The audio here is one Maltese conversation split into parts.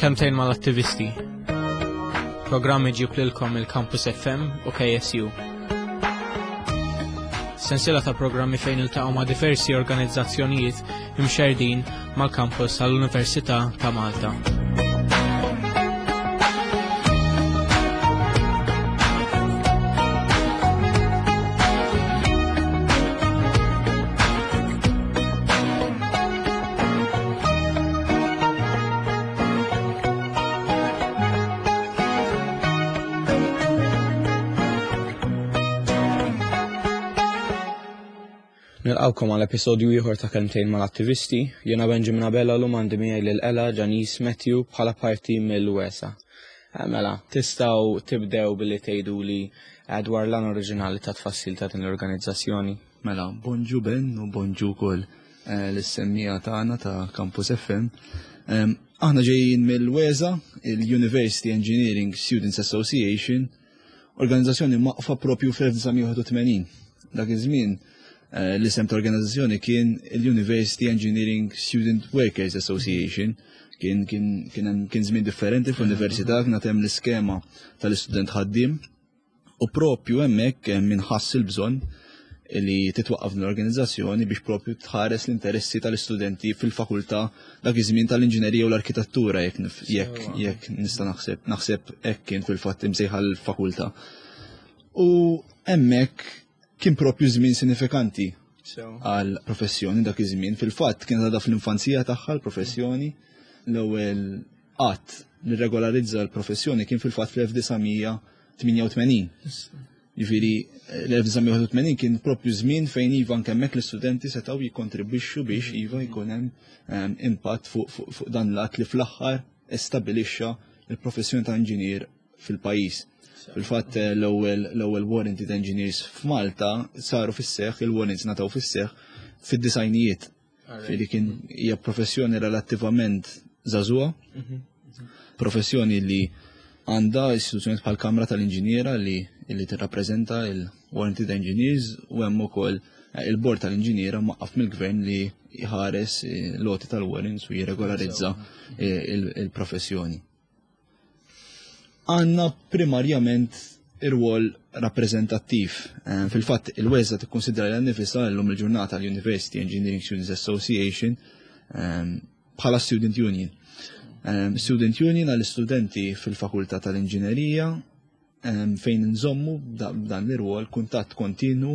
Kelmtejn mal-attivisti. Programm iġib lilkom il-Campus FM u KSU. Sensiela ta' programmi fejn iltaqgħu ma' diversi organizzazzjonijiet imxerdin mal-kampus tal-Università ta' Malta. Nilqawkom għal episodju ieħor ta' Kelmtejn mal-Attivisti. Jiena Benjamin Abella l għandi miegħi lil Ella Janice Matthew bħala parti mill-USA. Eh, mela, tistgħu tibdew billi tgħiduli eh, dwar l-għan oriġinali ta' tfassil ta' din l-organizzazzjoni. Mela, bonġu Ben u bonġu wkoll eh, lis-semmija tagħna ta' Campus FM. Aħna ġejjin mill-WESA, il-University Engineering Students Association, organizzazzjoni maqfa propju fl-1981. Dak iż-żmien eh, l-isem ta' organizzazzjoni kien il-University Engineering Student Workers Association. Kien kien kien kien żmien differenti fl-università kien hemm l-iskema tal-istudent ħaddiem U propju hemmhekk min ħass il-bżonn li titwaqqaf din l-organizzazzjoni biex propju tħares l-interessi tal-istudenti fil-fakultà dak iż-żmien tal-inġinerija u l-arkitettura jekk jekk jekk nista' naħseb naħseb hekk kien fil-fatt imsejħa l-fakultà. U hemmhekk kien propju żmien sinifikanti għal professjoni dak iż-żmien. Fil-fatt kienet għadha fl-infanzija tagħha l-professjoni l-ewwel att li regolarizza l-professjoni kien fil-fatt fl-1988. Ġifieri l-1981 kien propju żmien fejn iva anke hemmhekk l-istudenti setgħu jikkontribwixxu biex iva jkun hemm ehm, impatt fuq dan l-att li fl-aħħar stabilixxa l-professjoni ta' inġinier fil-pajjiż. Fil-fatt eh, l-ewwel warranted engineers f'Malta saru fis-seħħ, il-warrants ngħataw fis-seħħ fid-disajnijiet. Li kien hija professjoni relattivament żagħżugħa, mhm. professjoni li għandha istituzzjonijiet bħal Kamra tal-Inġiniera li li tirrappreżenta il-Warranted Engineers u hemm ukoll eh, il-Bord tal-Inġiniera maqqaf mill-Gvern li jħares eh, l-għoti tal-warrants u jirregolarizza il-professjoni. Għandna primarjament ir-rwol rappreżentattiv. Eh, fil-fatt il-WESA tikkonsidra lilha nnifisha llum il-ġurnata l-University Engineering Students Association eh, bħala Student Union. Eh, Student Union għall-istudenti fil-Fakultà tal-Inġinerija fejn nżommu b'dan l-irwol kuntatt kontinu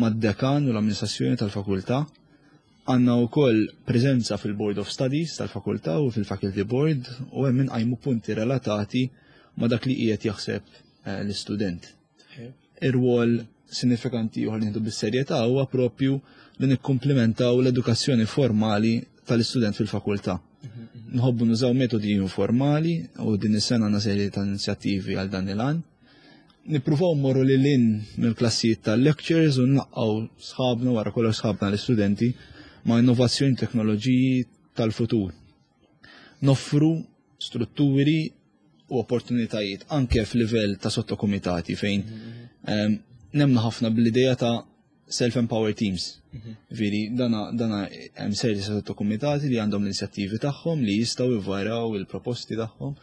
mad-dekan u l-amministrazzjoni tal-fakultà. Għandna wkoll preżenza fil-Board of Studies tal-fakultà u fil-Faculty Board u hemm inqajmu punti relatati ma' dak li qiegħed jaħseb eh, l-istudent. Ir-rwol sinifikanti ieħor li nieħdu bis-serjetà huwa propju li nikkumplimentaw l-edukazzjoni formali tal-istudent fil-fakultà. Nħobbu nużaw metodi informali u din is-sena għandna serje ta' inizjattivi għal dan il-għan. Nippruvaw mmorru lil hinn mill-klassijiet tal-lectures u nlaqqgħu sħabna wara kollox sħabna l-istudenti ma' innovazzjoni teknoloġiji tal-futur. Noffru strutturi u opportunitajiet anke f'livell ta' sottokumitati fejn ehm, nemnu ħafna bl-idea ta' self-empowered teams. Mhm. Veri, dana, dana hemm serji sottokumitati li għandhom l-inizjattivi tagħhom li jistgħu jvaraw il-proposti tagħhom.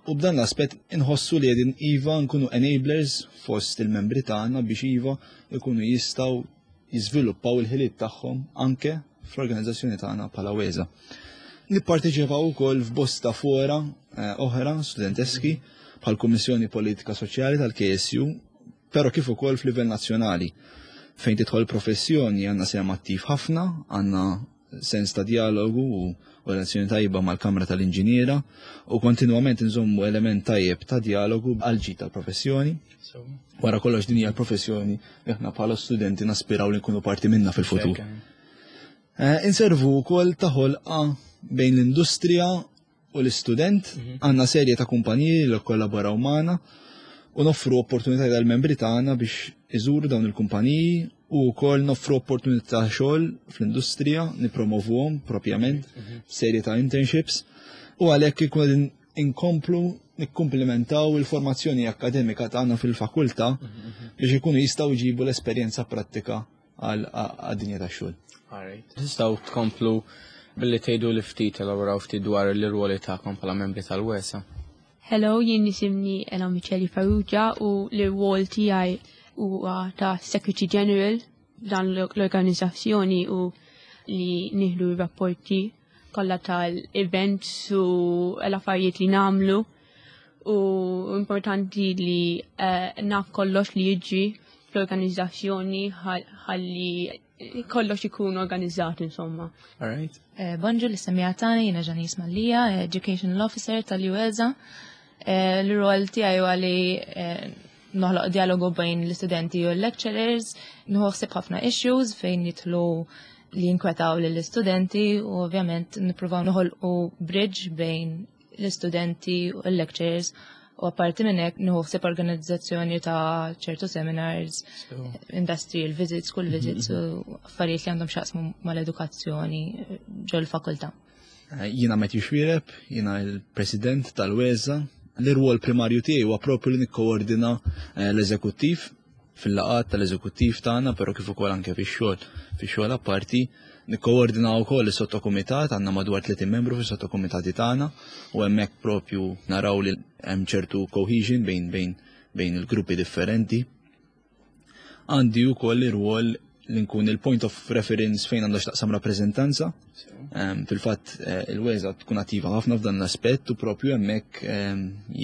U b'dan l-aspett inħossu li qegħdin iva nkunu enablers fost il-membri tagħna biex iva ikunu jistgħu jiżviluppaw il-ħiliet tagħhom anke fl-organizzazzjoni tagħna bħala WESA. Nipparteċipaw ukoll f'bosta fora eh, oħra studenteski bħal Kummissjoni Politika Soċjali tal-KSU, però kif ukoll f'livell nazzjonali fejn tidħol professjoni għandna sehem attiv ħafna, għandna sens ta' dialogu u relazzjoni tajba mal-Kamra tal-Inġiniera u kontinwament nżommu element tajjeb ta' dialogu għal ġid tal-professjoni. Wara kollox din hija l-professjoni li aħna bħala studenti naspiraw li nkunu parti minna fil-futur. Eh, inservu wkoll ta' ħolqa bejn l-industrija u l-istudent, mhm. għandna serje ta' kumpaniji li kollaboraw magħna u noffru opportunità għal membri tagħna biex iżuru dawn il-kumpaniji u wkoll noffru opportunità xogħol fl-industrija, nipromovuhom propjament mhm. serje ta' internships u għalhekk ikun inkomplu nikkumplimentaw il-formazzjoni akademika tagħna fil-fakultà mhm, biex ikunu jistgħu jġibu l-esperjenza prattika għad-dinja tax-xogħol. Tistgħu tkomplu. Billi tgħidu li ftit elaboraw ftit dwar l-irwoli tagħkom bħala membri tal-WESA. Hello, jien nisimni Ella Micheli Farrugia u l-irwol tiegħi huwa ta' Secretary General dan l-organizzazzjoni u li nieħdu rapporti kollha tal-events u l-affarijiet li nagħmlu u importanti li eh, naf kollox li jiġri fl-organizzazzjoni ħalli kollox ikun organizzat insomma. All right. Eh, bonġu li semmija tani, jiena Ġanis Mallia, Educational Officer tal-UESA. Eh, l-rol tiegħi huwa li noħloq dialogu bejn l-istudenti u l-lecturers, nħossib ħafna issues fejn jitlu li jinkwetaw lill-istudenti u ovvjament nippruvaw noħolqu bridge bejn l-istudenti u l-lecturers u apparti minn hekk nieħu ħsieb organizzazzjoni ta' ċertu seminars, industrial visits, school visits u affarijiet li għandhom x'jaqsmu mal-edukazzjoni ġol fakultà. Jiena Matthew Xuereb, jiena l-President tal-WESA. L-irwol primarju tiegħi huwa propju li nikkoordina eh, l-eżekuttiv fil-laqgħat tal-eżekuttiv tagħna, però kif ukoll anke fix-xogħol fix-xogħol apparti. Nikkoordina wkoll is-sottokumitat, għandna madwar 30 membru fis-sottokumitati tagħna u hemmhekk propju naraw li hemm ċertu cohesion bejn bejn bejn il-gruppi differenti. Għandi wkoll ir-rwol li nkun il-point of reference fejn għandha x'taqsam rappreżentanza. Fil-fatt eh, il-WESA tkun attiva ħafna f'dan l-aspett u propju hemmhekk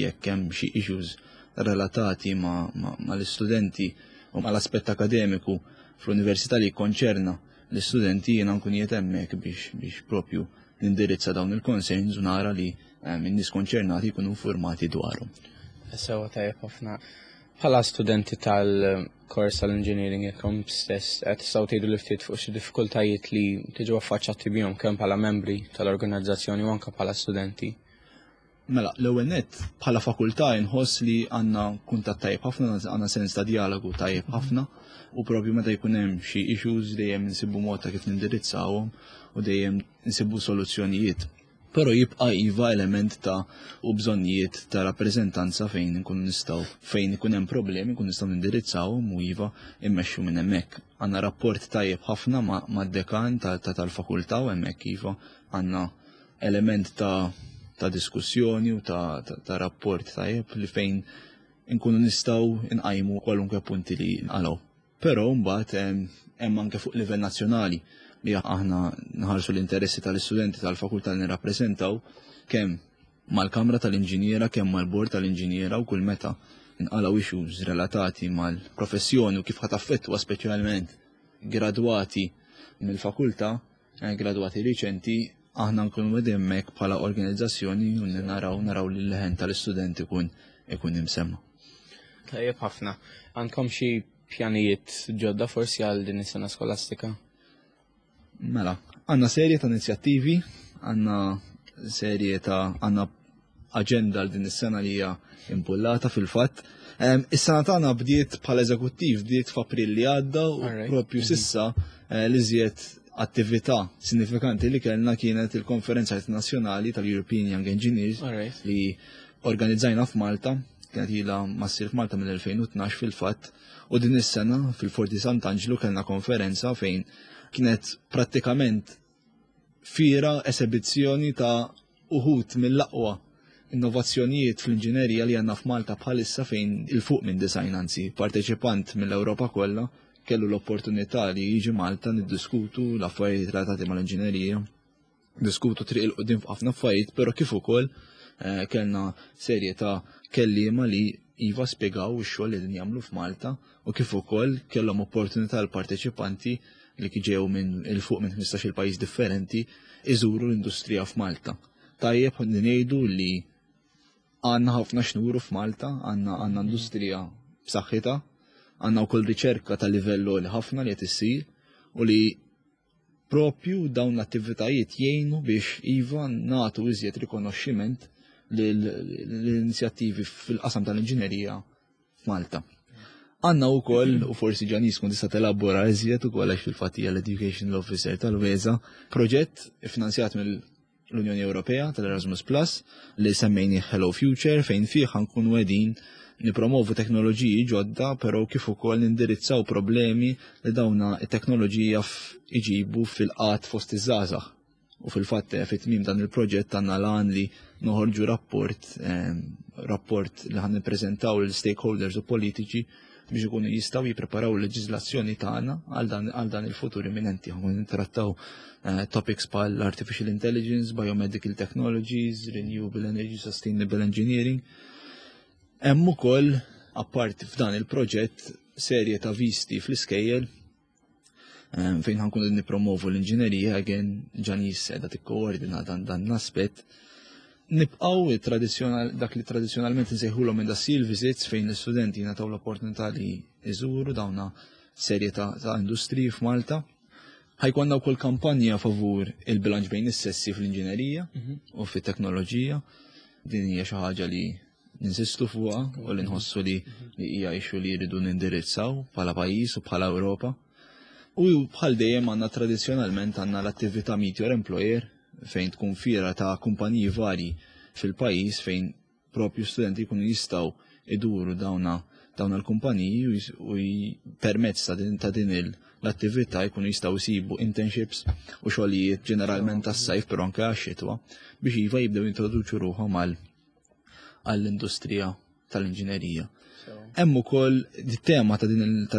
jekk hemm xi issues relatati mal-istudenti u mal-aspett akademiku fl-università li jikkonċerna l-istudenti jiena nkun qiegħed hemmhekk biex biex propju nindirizza dawn il-concerns u nara li in-nies konċernati jkunu informati dwarhom. Sewa tajjeb ħafna. Bħala studenti tal-kors tal-engineering jekkom stess, qed tistgħu tgħidu li ftit fuq xi diffikultajiet li tiġu affaċċati bihom kemm bħala membri tal-organizzazzjoni u anke bħala studenti. Mela, l-ewwel nett bħala fakultà inħoss li għandna kuntatt tajjeb ħafna, għandna sens ta' dialogu tajjeb ħafna u propju meta jkun hemm xi issues dejjem insibu mod ta' kif nindirizzawhom u dejjem insibu soluzzjonijiet. Però jibqa' iva element ta' u bżonnijiet ta' rappreżentanza fejn inkunu nistgħu fejn ikun hemm problemi nkunu nistgħu nindirizzawhom u iva immexxu minn hemmhekk. Għandna rapport tajjeb ħafna mad-dekan tal-fakultà u hemmhekk iva għandna element ta' ta' diskussjoni u ta', ta, ta rapport tajjeb li fejn inkunu nistgħu nqajmu kwalunkwe punti li nqalgħu. Però mbagħad hemm anke fuq livell nazzjonali li aħna nħarsu l-interessi tal-istudenti tal-fakultà li nirrappreżentaw kemm mal-Kamra tal-Inġiniera kemm mal-Bord tal-Inġiniera u kull meta nqalgħu issues relatati mal-professjoni u kif ħa taffettwa speċjalment gradwati mill-fakultà, eh, gradwati riċenti, aħna nkunu qegħdin hemmhekk bħala organizzazzjoni u naraw naraw li l-leħen tal-istudenti ikun ikun imsemma. Tajjeb ħafna. Għandkom xi pjanijiet ġodda forsi għal din is-sena skolastika? Mela, għandna serje ta' inizjattivi, għandna serje ta' għandna aġenda għal din is-sena li hija impullata fil-fatt. Is-sena tagħna bdiet bħala eżekuttiv bdiet f'April li għadda u propju mhm. sissa eh, li żjed attività sinifikanti li kellna kienet il-konferenza internazzjonali tal-European Young Engineers li organizzajna f'Malta, kienet ilha ma ssir f'Malta mill-2012 fil-fatt, u din is-sena fil-Forti Sant'Anġlu kellna konferenza fejn kienet prattikament fiera esebizzjoni ta' uħud mill-aqwa innovazzjonijiet fl-inġinerija li għandna f'Malta bħalissa fejn il-fuq minn design anzi parteċipant mill-Ewropa kollha kellu l-opportunità li jiġi Malta niddiskutu l-affarijiet relatati mal-inġinerija, diskutu triq il-qudiem f'ħafna affarijiet, però kif ukoll eh, kellna serje ta' kelliema li iva spjegaw ix-xogħol li qegħdin jagħmlu f'Malta u kif ukoll kellhom opportunità l-parteċipanti li ġew minn il fuq minn 15-il pajjiż differenti iżuru l-industrija f'Malta. Tajjeb li ngħidu li għandna ħafna xnuru f'Malta, għandna għandna industrija b'saħħitha, għandna wkoll riċerka ta' livell għoli ħafna li qed issir u li propju dawn l-attivitajiet jgħinu biex iva nagħtu iżjed rikonoxximent l-inizjattivi fil-qasam tal-inġinerija f'Malta. Għanna u koll, u forsi Ġanis kun tista' telabora iżjed u koll għax fil-fatt hija l-Educational Officer tal-WESA, proġett finanzjat mill-Unjoni Ewropea tal-Erasmus Plus li semmejni Hello Future fejn fih ħankunu qegħdin nipromovu teknoloġiji ġodda, però kif ukoll nindirizzaw problemi li dawna it-teknoloġija iġibu fil-qat fost iż-żgħażagħ. U fil-fatt fit-tmiem dan il-proġett għandna l-għan li noħorġu rapport rapport li ħan nippreżentaw lil stakeholders u politiċi biex ikunu jistgħu jippreparaw il-leġiżlazzjoni tagħna għal dan il-futur imminenti. Ħa nittrattaw topics bħal artificial intelligence, biomedical technologies, renewable energy, sustainable engineering. Hemm ukoll apart f'dan il-proġett serje ta' visti fl-iskejjel fejn ħa nkunu nippromovu l-inġinerija, again Janice qiegħda tikkoordina dan l-aspett. Nibqgħu dak li tradizzjonalment nsejħulhom industrial visits, fejn l-istudenti jingħataw l-opportunità li jżuru dawna serje ta' industriji f'Malta. Ħa jkollna wkoll kampanja favur il-bilanċ bejn is-sessi fl-inġinerija u fit-teknoloġija. Din hija xi ħaġa li ninsistu fuqha u li nħossu li hija issue li jridu nindirizzaw bħala pajjiż u bħala Ewropa. U bħal dejjem għandna tradizzjonalment għandna l-attività Meet Your Employer, fejn tkun fiera ta' kumpaniji vari fil-pajjiż, fejn propju studenti jkunu jistgħu iduru dawna l-kumpaniji u permezz ta' din l-attività jkunu jistgħu jsibu internships u xogħlijiet, ġeneralment tas-sajf però anke għax-xitwa, biex iva jibdew jintroduċu ruħhom għall-industrija tal-inġinerija. Hemm ukoll tema ta'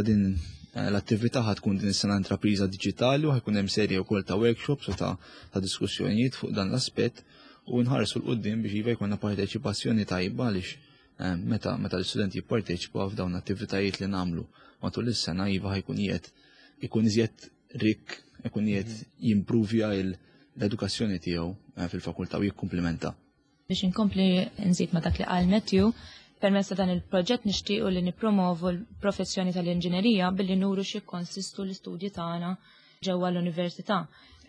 din l-attività ħa tkun din is-sena intrapriża diġitali u ħa jkun hemm serje wkoll ta' workshops u ta' diskussjonijiet fuq dan l-aspett u nħarsu 'l quddiem biex iva jkollna parteċipazzjoni tajba, għaliex meta l-istudenti jipparteċipaw f'dawn l-attivitajiet li nagħmlu matul is-sena, iva ħa jkun qiegħed ikun iżjed rik, ikun qiegħed jimprovja l-edukazzjoni tiegħu fil-fakultà u jikkumplimenta. Biex inkompli nżid ma dak li qal Matthew, permezz ta' dan il-proġett nixtiequ li nippromovu l-professjoni tal-inġinerija billi nuru xi konsistu l-istudji tagħna ġewwa l-università.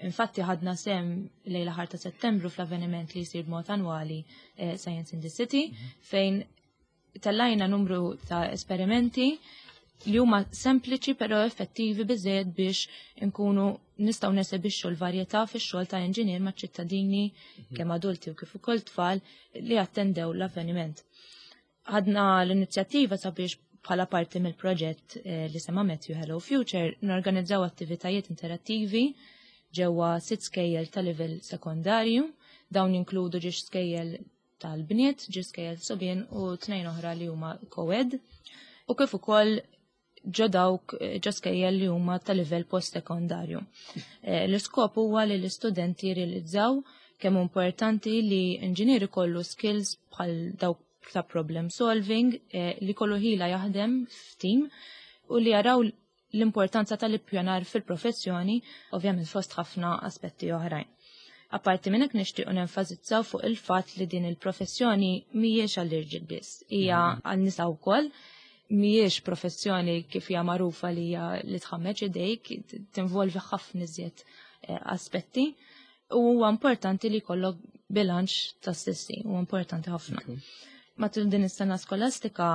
Infatti ħadna sehem lejn l-aħħar ta' Settembru fl-avveniment li jsir b'mod annwali, Science in the City, fejn tellajna numru ta' esperimenti li huma sempliċi però effettivi biżejjed biex inkunu nistgħu nesebixxu l-varjetà fix-xogħol ta' inġinier ma' ċittadini, kemm adulti u kif ukoll tfal li attendew l-avveniment. Ħadna l-inizjattiva sabiex bħala parti mill-proġett li sema Matthew, Hello Future, norganizzaw attivitajiet interattivi ġewwa sitt skejjel ta' livell sekondarju. Dawn jinkludu żewġ skejjel tal-bniet, żewġ skejjel subien u tnejn oħra li huma co-ed. U kif ukoll ġo dawk ġo skejjel li huma ta' livell post-sekondarju. L-iskop huwa li l-istudenti jirrealizzaw kemm importanti li inġinier ikollu skills bħal dawk ta' problem solving, li kollu ħila jaħdem f'team u li jaraw l-importanza tal-ippjanar fil-professjoni, ovvjament fost ħafna aspetti oħrajn. Apparti minn hekk, nixtiequ nenfasizzaw fuq il-fatt li din il-professjoni mhijiex għall-irġiel biss, hija għan-nisa wkoll, mhijiex professjoni kif hija magħrufa li hija li tħammeġ idejk, tinvolvi ħafna iżjed aspetti. U huwa importanti li jkollok bilanċ ta' sessi, huwa importanti ħafna. Matul din is-sena skolastika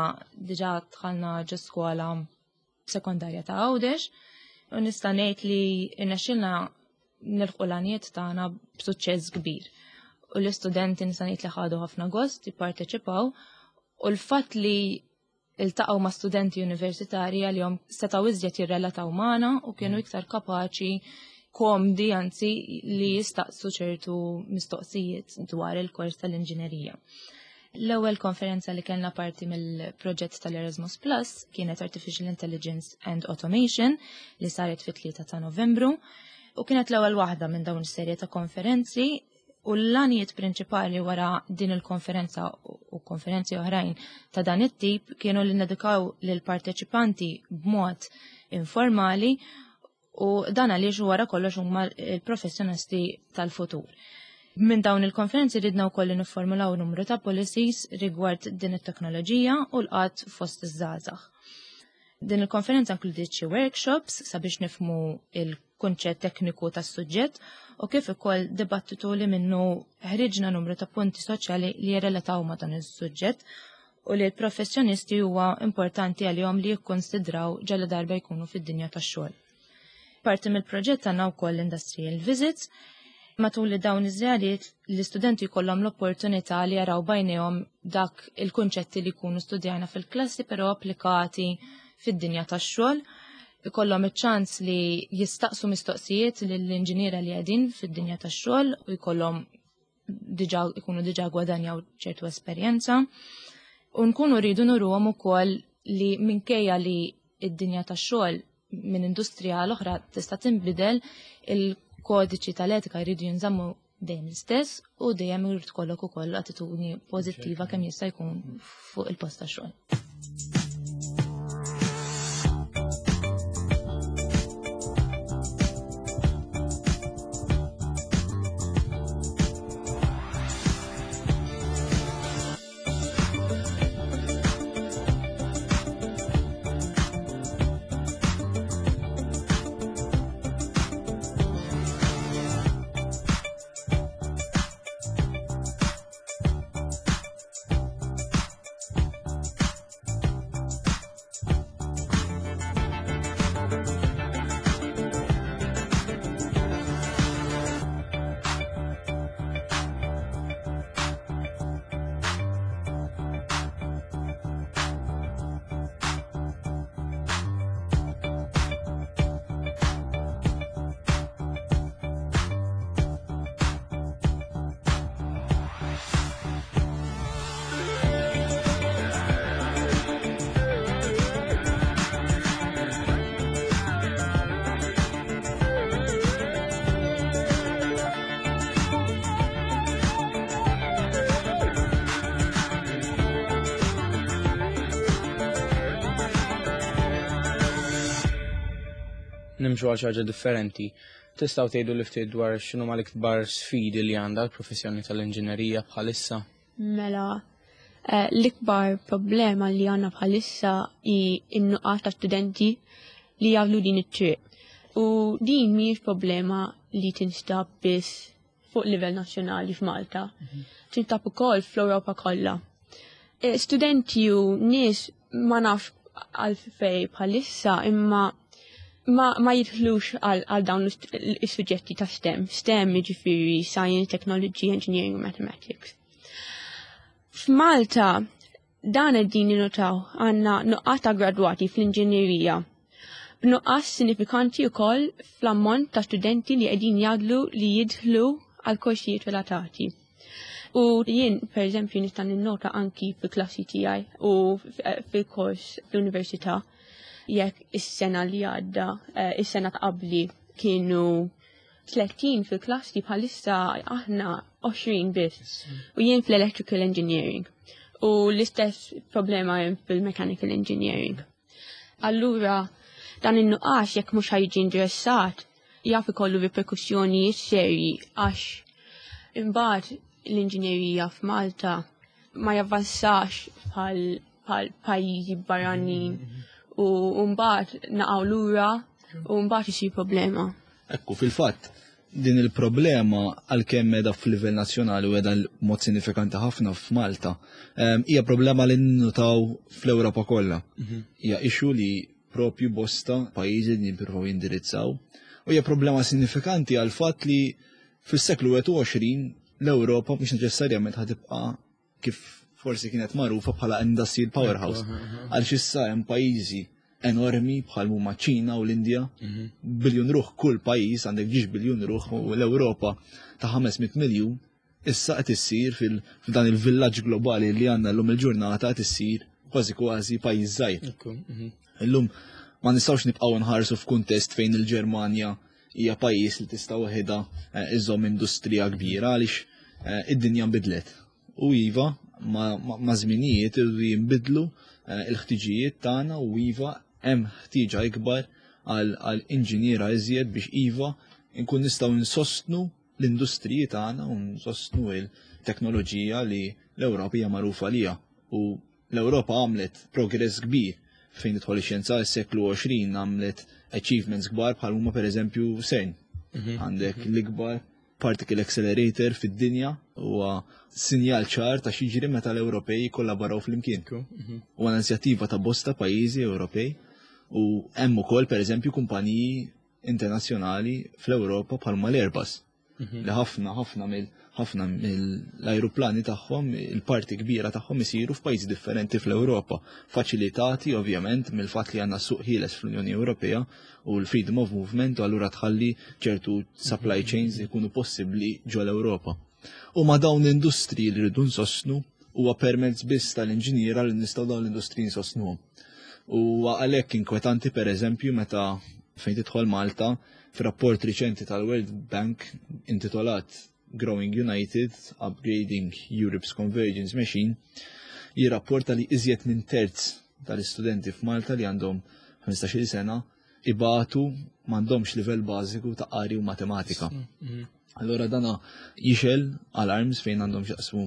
diġà dħalna ġo skola sekondarja ta' Għawdex u nista' ngħid li rnexxielna nilħqu l-għanijiet tagħna b'suċċess kbir. U l-istudenti nista' ngħid li ħadu ħafna gost jipparteċipaw u l-fatt li iltaqgħu ma' studenti universitarji għalihom setgħu iżjed jirrelataw magħna u kienu iktar kapaċi, komdi anzi, li jistaqsu ċertu mistoqsijiet dwar il-kors tal-inġinerija. L-ewwel konferenza li kellna parti mill-proġett tal-Erasmus Plus kienet Artificial Intelligence and Automation, li saret fit-3 ta' Novembru u kienet l-ewwel waħda minn dawn is-serje ta' konferenzi, u l-għanijiet prinċipali wara din il-konferenza u konferenzi oħrajn ta' dan it-tip kienu li nedukaw lil parteċipanti b'mod informali, u dan għaliex wara kollox huma il-professjonisti tal-futur. Minn dawn il-konferenzi ridna wkoll li nifformulaw numru ta' policies rigward din it-teknoloġija u l-qgħad fost iż-żgħażagħ. Din il-konferenza inkludiet xi workshops sabiex nifhmu il-kunċett tekniku tas-suġġett u kif ukoll dibattitu li minnu ħriġna numru ta' punti soċjali li jirrelataw ma' dan is-suġġett u li l-professjonisti huwa importanti għalihom li jikkonsidraw ġalla darba jkunu fid-dinja tax-xogħol. Parti mill-proġett għandna wkoll industrial visits. Matul li dawn iż-żjariet l-istudenti jkollhom l-opportunità li jaraw b'għajnejhom dak il-kunċetti li jkunu studjana fil-klassi però applikati fid-dinja tax-xogħol. Ikollhom iċ-ċans li jistaqsu mistoqsijiet lill-inġiniera li qegħdin fid-dinja tax-xogħol u jkollhom diġà ikunu diġà gwadanjaw ċertu esperjenza. U nkunu rridu nuruhom ukoll li minkejja li id-dinja tax-xogħol minn industrija għal oħra tista' tinbidel, il-kodiċi tal-etika jridu jinżammu dejjem l-istess u dejjem irid kollok ukoll attitudni pożittiva kemm jista' jkun fuq il-post tax-xogħol. Nimxu għal ħaġa differenti. Tistgħu tgħidu li ftit dwar x'inhuma l-ikbar sfidi li għandha l-professjoni tal-inġinerija bħalissa? Mela, eh, l-ikbar problema li għandna bħalissa hi n-nuqqas ta' studenti li jagħmlu din it-triq. U din mhijiex problema li tinstab biss fuq livell nazzjonali f'Malta. Mhm. Tinstab ukoll fl-Ewropa kollha. Eh, studenti u nies ma nafx għalfej bħalissa imma ma, ma jidħlux għal dawn is-suġġetti ta' STEM. STEM jiġifieri Science, Technology, Engineering, Mathematics. F'Malta dan qegħdin ninnotaw għandna nuqqas ta' gradwati fl-inġinerija. B'nuqqas sinifikanti wkoll fl-ammont ta' studenti li qegħdin jagħdlu li jidħlu għal korsijiet relatati. U jien, per eżempju, nista' ninnota anki fil-klassi tiegħi u fil-kors fl-università jekk is-sena li għadda, eh, is-sena ta' qabli kienu 30 fil-klassi bħalissa aħna 20 biss. U jien fl-electrical engineering. U l-istess problema hemm fil-mechanical engineering. Allura, dan in-nuqqas jekk mhux ħajġi indirizzat, jaf ikollu riperkussjonijiet serji għax imbagħad l-inġinerija f'Malta ma javvanzax bħal pajjiżi barranin u mbagħad naqgħu lura u mbagħad isir problema. Ekku, fil-fatt, din il-problema għalkemm qiegħda f'livell nazzjonali u qiegħda mod sinifikanti ħafna f'Malta, ehm, hija problema li nnutaw fl-Ewropa kollha. Mhm. Hija issue li propju bosta pajjiżi li jippruvaw jindirizzaw. U hija problema sinifikanti għal fatt li fis-seklu 21 l-Ewropa mhux neċessarjament ħatibqa' kif forsi kienet magħrufa bħala industrial powerhouse. Għaliex issa hemm pajjiżi enormi bħal huma ċina u l-Indja, mhm. biljun ruħ kull pajjiż għandek ġiex biljun ruħ u l-Ewropa ta' 500 miljun issa qed issir f'dan il-villaġġ globali li għandna llum il-ġurnata qed issir kważi kważi pajjiż żgħir. Mhm. Illum ma nistgħux nibqgħu nħarsu f'kuntest fejn il-Ġermanja hija pajjiż li tista' waħedha eh, iżomm industrija kbira għaliex eh, id-dinja nbidlet. U iva, ma' żminijiet irridu jinbidlu eh, il-ħtiġijiet tagħna u iva hemm ħtieġa ikbar għal inġiniera iżjed biex iva nkun nistgħu nsostnu l-industriji tagħna u nsostnu il-teknoloġija li l-Ewropa hija magħrufa għaliha. U l-Ewropa għamlet progress kbir fejn tidħol ix-xjenza s-seklu 20 għamlet achievements kbar bħal huma pereżempju CERN. Mhm. Għandek mhm. l-ikbar particle accelerator fid-dinja huwa sinjal ċar ta' x'jiġri meta l-Ewropej jikkollaboraw flimkien. Mhm. Huwa inizjattiva ta' bosta pajjiżi Ewropej u hemm ukoll pereżempju kumpaniji internazzjonali fl-Ewropa bħalma l-Airbus. Li ħafna ħafna mill ħafna mill-ajruplani tagħhom, il-parti kbira tagħhom isiru f'pajjiżi differenti fl-Ewropa, faċilitati ovvjament mill-fatt li għandna suq ħieles fl-Unjoni Ewropea u l-freedom of movement u allura tħalli ċertu supply chains ikunu possibbli ġol-Ewropa. U ma dawn l-industriji li rridu nsostnu huwa permezz biss tal-inġiniera li nistgħu dawn l-industriji nsostnuhom. U għalhekk inkwetanti pereżempju meta fejn tidħol Malta f'rapport riċenti tal-World Bank intitolat Growing United, Upgrading Europe's Convergence Machine, jirrapporta li iżjed minn terz tal-istudenti f'Malta li għandhom 15-il sena ibatu m'għandhomx livell bażiku ta' qari u matematika. Allora dana jixgħel alarms fejn għandhom x'jaqsmu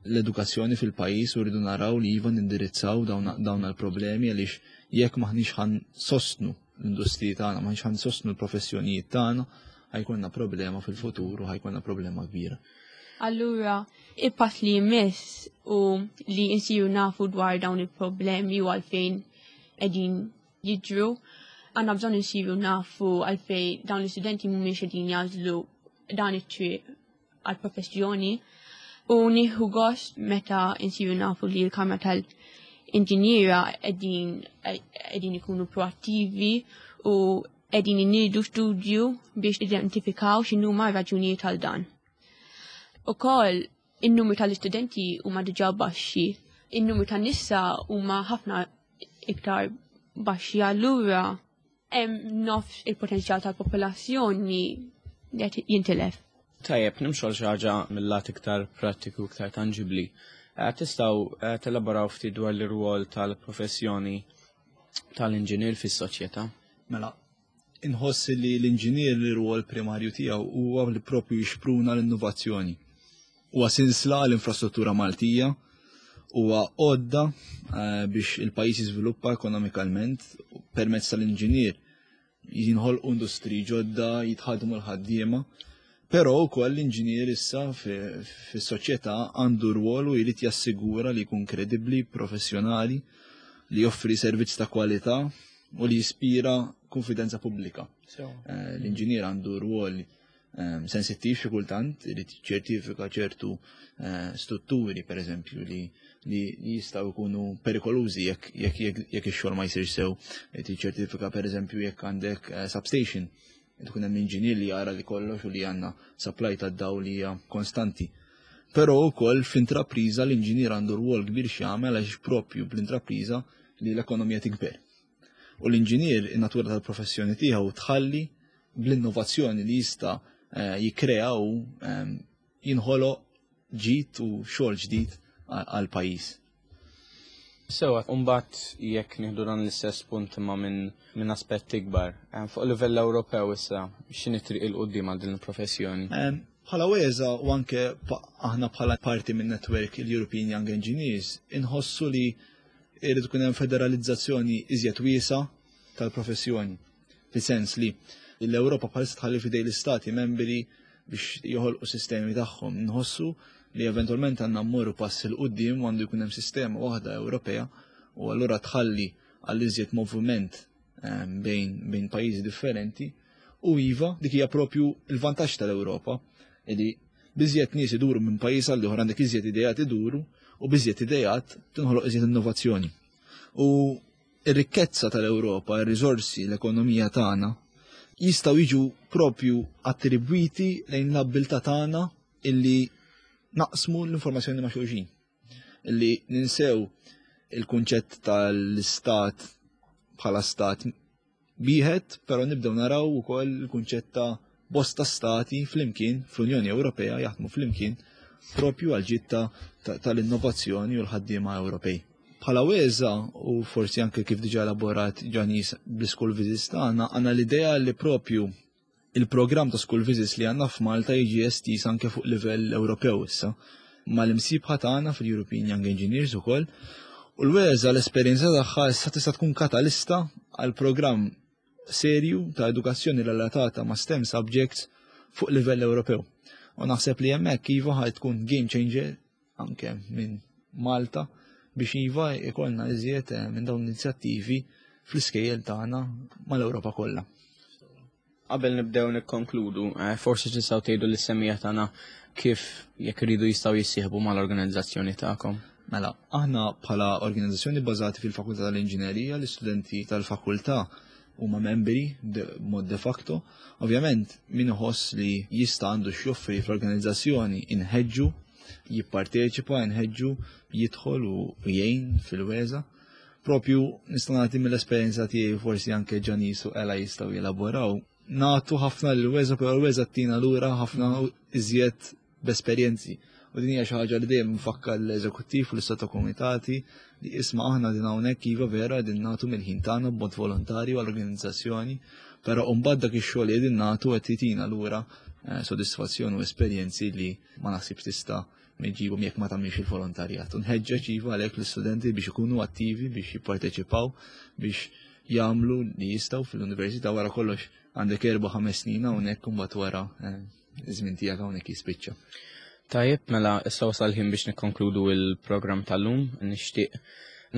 l-edukazzjoni fil-pajjiż u rridu naraw li iva nindirizzaw dawn l-problemi għaliex jekk m'aħniex ħa nsostnu l-industriji tagħna, m'aħniex ħa nsostnu l-professjonijiet tagħna, ħa jkollna problema fil-futur u ħa jkollna problema kbira. Allura, il-pass li jmiss u li nsiru nafu dwar dawn il-problemi u għalfejn qegħdin jiġru, għandna bżonn insiru nafu għalfejn dawn l-istudenti mhumiex qegħdin jagħżlu dan it-triq għal-professjoni u nieħu gost meta nsiru nafu li l-Kamra tal-Inġiniera qegħdin ikunu proattivi u qegħdin iniedu studju biex identifikaw x'inhuma raġunijiet għal dan. Ukoll in-numru tal-istudenti huma diġà baxxi, in-numru tan-nisa huma ħafna iktar baxxi allura hemm nofs il-potenzjal tal-popolazzjoni li qed jintilef. Tajjeb, nimxu għal xi ħaġa mill-lat iktar prattiku, iktar tanġibli. Tistgħu telaboraw ftit dwar l-irwol tal-professjoni tal-inġinier fis-soċjetà? Mela, inħoss li l-inġinier l-irwol primarju tiegħu huwa li propju jixpruna l-innovazzjoni. Huwa sinsla l-infrastruttura Maltija, huwa għodda biex il-pajjiż jiżviluppa ekonomikalment permezz tal-inġinier jinħolqu industriji ġodda, jitħadmu l-ħaddiema. Però wkoll l-inġinier issa fis-soċjetà għandu rwol u jrid jassigura li jkun kredibbli, professjonali, li joffri servizz ta' kwalità u li jispira konfidenza pubblika. L-inġinier għandu rwol sensittiv xi kultant, irid ċertifika ċertu strutturi, per eżempju, li jistgħu jkunu perikolużi jekk ix-xogħol ma jsirx sew. Irid jiċċertifika per eżempju jekk għandek substation, tkun hemm inġinier li jara li kollox u li għandna supply ta' dawl li hija konstanti. Però wkoll fl-intrapriża l-inġinier għandu rwol kbir x'jagħmel għax propju bl-intrapriża li l-ekonomija tikber. U l-inġinier in-natura tal-professjoni tiegħu tħalli bl-innovazzjoni li jista' jikkrea u jinħoloq ġid u xogħol ġdid għal pajjiż. Sewa, mbagħad jekk nieħdu dan l-istess punt imma minn aspett ikbar, fuq livell Ewropew issa, x'inhi triq 'il quddiem għal din il-professjoni? Bħala WESA u anke aħna bħala parti minn network il-European Young Engineers, inħossu li irid ikun hemm federalizzazzjoni iżjed wiesa tal-professjoni. Fis-sens li l-Ewropa bħalissa tħalli f'idej l-istati membri biex joħolqu sistemi tagħhom. Nħossu li eventwalment għandna mmorru pass 'il quddiem u għandu jkun hemm sistema waħda Ewropea u allura tħalli għal iżjed moviment bejn pajjiżi differenti. U iva, dik hija propju il-vantaġġ tal-Ewropa, li biżjed nies iduru minn pajjiż għal ieħor għandek iżjed ideat iduru u biżjed ideat tinħoloq iżjed innovazzjoni. U ir-rikkezza tal-Ewropa, ir-riżorsi, l-ekonomija tagħna jistgħu jiġu propju attribwiti lejn l-abbiltà tagħna illi naqsmu l-informazzjoni ma' xulxin. Illi ninsew il-kunċett tal-istat bħala stat wieħed, però nibdew naraw ukoll il-kunċett ta' bosta stati flimkien fl-Unjoni Ewropea jaħdmu flimkien propju għal ġid tal-innovazzjoni u l-ħaddiema Ewropej. Bħala WESA u forsi anke kif diġà elaborat Janice bl-school visits tagħna, għandna l-idea li propju il-programm ta' school visits li għandna f'Malta jiġi estiż anke fuq livell Ewropew issa mal-imsieħba tagħna fil-European Young Engineers ukoll. U l-WESA l-esperjenza tagħha issa tista' tkun katalista għal programm serju ta' edukazzjoni relatata ma' STEM subjects fuq livell Ewropew. U naħseb li hemmhekk iva ħaj tkun game changer anke minn Malta biex iva ikollna iżjed minn dawn l-inizjattivi fl-iskejjel tagħna mal-Ewropa kollha. Qabel nibdew nikkonkludu, eh, forsi tistgħu tgħidu lis-semija tagħna kif jekk iridu jistgħu jissieħbu mal-organizzazzjoni tagħkom. Mela, aħna bħala organizzazzjoni bbażati fil-Fakultà tal-Inġinerija, l-istudenti tal-fakultà huma membri mod de facto. Ovvjament, min iħoss li jista' għandu x'joffri fl-organizzazzjoni inħeġġu jipparteċipa, inħeġġu jidħol u jgħin fil-weza. Propju nista' nagħti mill-esperjenza tiegħi forsi anke Ġanis u Ela jistgħu jelaboraw. Nagħtu ħafna lil weza, però l-weza tina lura ħafna iżjed b'esperjenzi. U din hija xi ħaġa li dejjem nfakkar l-eżekuttiv u l-istat komitati li isma' aħna din hawnhekk iva vera din nagħtu mill-ħin tagħna b'mod volontarju għall-organizzazzjoni, però mbagħad dak ix-xogħol li qegħdin nagħtu qed jitina lura eh, sodisfazzjon u esperjenzi li ma naħsibx tista' miġibhom jekk ma tagħmilx il-volontarjat. U nħeġġeġ iva għalhekk l-istudenti biex ikunu attivi, biex jipparteċipaw, biex jagħmlu li jistgħu fil-università wara kollox għandek erba' ħames snin hawnhekk u mbagħad wara eh, iż-żmien tiegħek hawnhekk jispiċċa. Tajjeb, mela issa wasal ħin biex nikkonkludu il-programm tal-lum. Nixtieq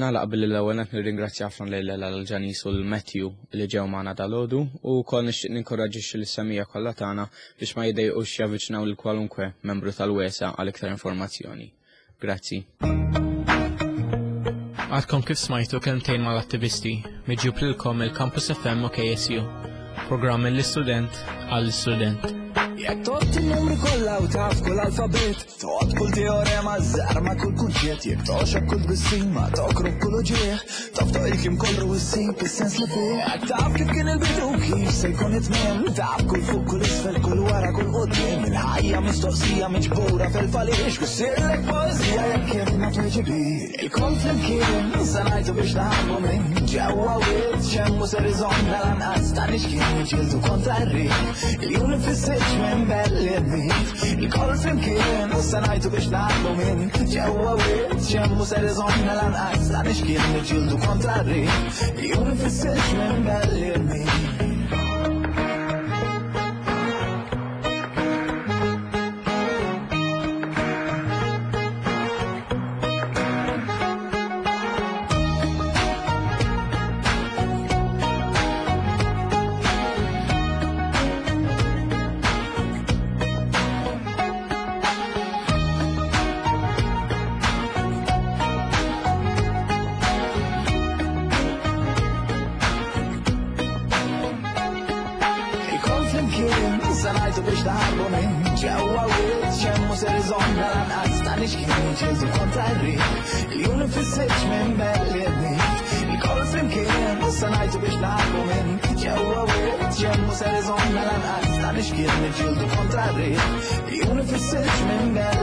nagħlaq billi l-ewwel qed nirringrazzja ħafna lil l-Ġanis u l-Matthew li ġew magħna dalgħodu u wkoll nixtieq ninkoraġġixxi lis-semija kollha tagħna biex ma jiddejqux javviċinaw lil kwalunkwe membru tal-WESA għal iktar informazzjoni. Grazzi. Għadkom kif smajtu kelmtejn mal-attivisti, miġjub lilkom il-Campus FM u KSU. Programm mill-istudent għall-istudent. Jekk tot il-numri kollha u taf kull alfabet, toqgħod kull teorema żarma kull kunċett, jekk toxob kull tbissima, tokrob kull uġieħ, taf il-kim kollu issib is-sens li fih. Jekk taf kif kien il-bidu kif se jkun it-tmiem, taf kull fuq kull isfel kull wara kull quddiem, il-ħajja mistoqsija miġbura fil-faliex, issirlek poeżija jekk kif ma tweġibi. Il-kol flimkien se ngħidu biex naħarbu minn ġewwa wied xemmu ser iżomna lanqas ta' nixkien niġġieldu kontra r-riħ. Il-jum li fissirx minn belli rmit. Il-kol flimkien se ngħidu biex naħarbu minn ġewwa wied xemmu ser iżomna lanqas ta' nixkien niġġieldu kontra r-riħ. Il-jum li fissirx minn belli rmit. Il-kol flimkien se ngħidu biex naħarbu minn ġewwa wied xemmu ser iżomna lanqas ta' nixkien niġġieldu kontra r-riħ. Il-jum li fissirx minn belli rmit. Il-kol flimkien se ngħidu biex naħarbu minn ġewwa wied xemmu ser iżomna lanqas ta' nixkien niġġieldu kontra r-riħ. Il-jum li fissirx minn belli.